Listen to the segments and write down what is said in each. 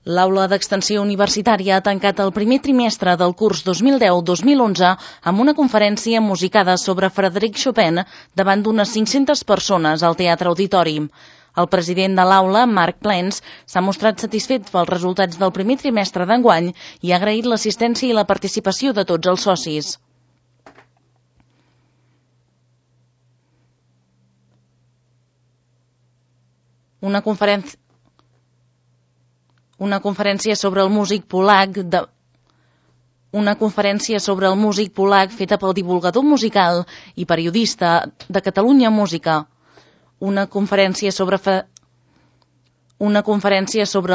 L'aula d'extensió universitària ha tancat el primer trimestre del curs 2010-2011 amb una conferència musicada sobre Frédéric Chopin davant d'unes 500 persones al Teatre Auditori. El president de l'aula, Marc Plens, s'ha mostrat satisfet pels resultats del primer trimestre d'enguany i ha agraït l'assistència i la participació de tots els socis. Una conferència sobre el músic polac feta pel divulgador musical i periodista de Catalunya Música. Una conferència sobre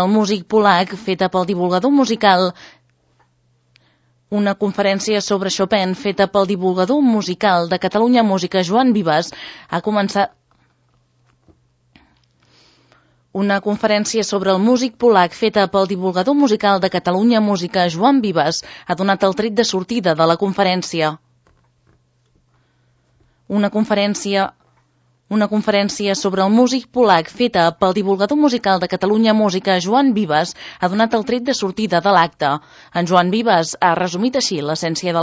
el músic polac feta pel divulgador musical. Una conferència sobre Chopin feta pel divulgador musical de Catalunya Música, Joan Vives, ha començat. Una conferència sobre el músic polac feta pel divulgador musical de Catalunya Música, Joan Vives, ha donat el tret de sortida de la conferència. Una conferència sobre el músic polac feta pel divulgador musical de Catalunya Música, Joan Vives, ha donat el tret de sortida de l'acte. En Joan Vives ha resumit així l'essència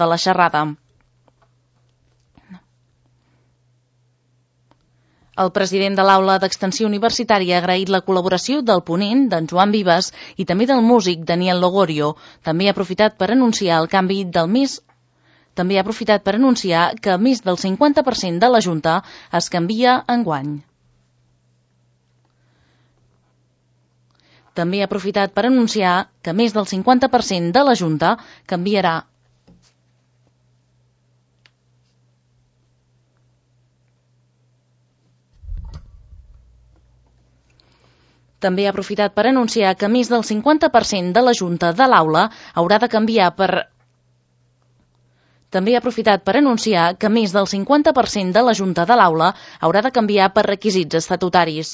de la xerrada. El president de l'aula d'extensió universitària ha agraït la col·laboració del ponent, d'en Joan Vives, i també del músic Daniel Logorio. També ha aprofitat per anunciar que més del 50% de la Junta es canvia enguany. També ha aprofitat per anunciar que més del 50% de la Junta canviarà. També ha aprofitat per anunciar que més del 50% de la Junta de l'aula haurà de canviar per requisits estatutaris.